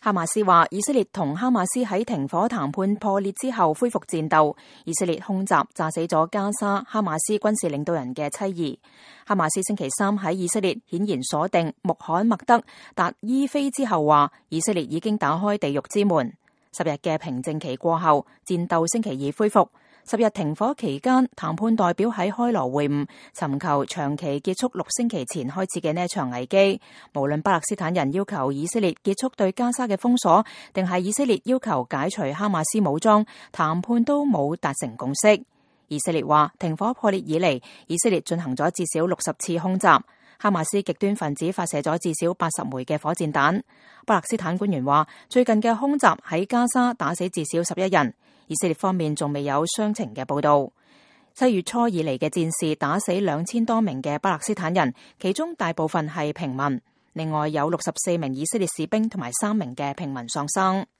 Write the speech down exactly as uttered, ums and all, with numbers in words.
哈馬斯話，以色列同哈馬斯喺停火談判破裂之後恢復戰鬥。以色列空襲炸死咗加沙哈馬斯軍事領導人嘅妻兒。哈馬斯星期三喺以色列顯然鎖定穆罕默德達伊菲之後話，以色列已經打開地獄之門。十日嘅平靜期過後，戰鬥星期二恢復。十日停火期間，談判代表喺開羅會晤，尋求長期結束六星期前開始嘅呢一場危機。無論巴勒斯坦人要求以色列結束對加沙嘅封鎖，定係以色列要求解除哈馬斯武裝，談判都冇達成共識。以色列話，停火破裂以嚟，以色列進行咗至少六十次空襲。哈馬斯極端分子發射咗至少八十枚嘅火箭彈。巴勒斯坦官員話，最近嘅空襲喺加沙打死至少十一人。以色列方面仲未有傷情嘅報道。七月初以嚟嘅戰事打死兩千多名嘅巴勒斯坦人，其中大部分係平民。另外有六十四名以色列士兵同埋三名嘅平民喪生。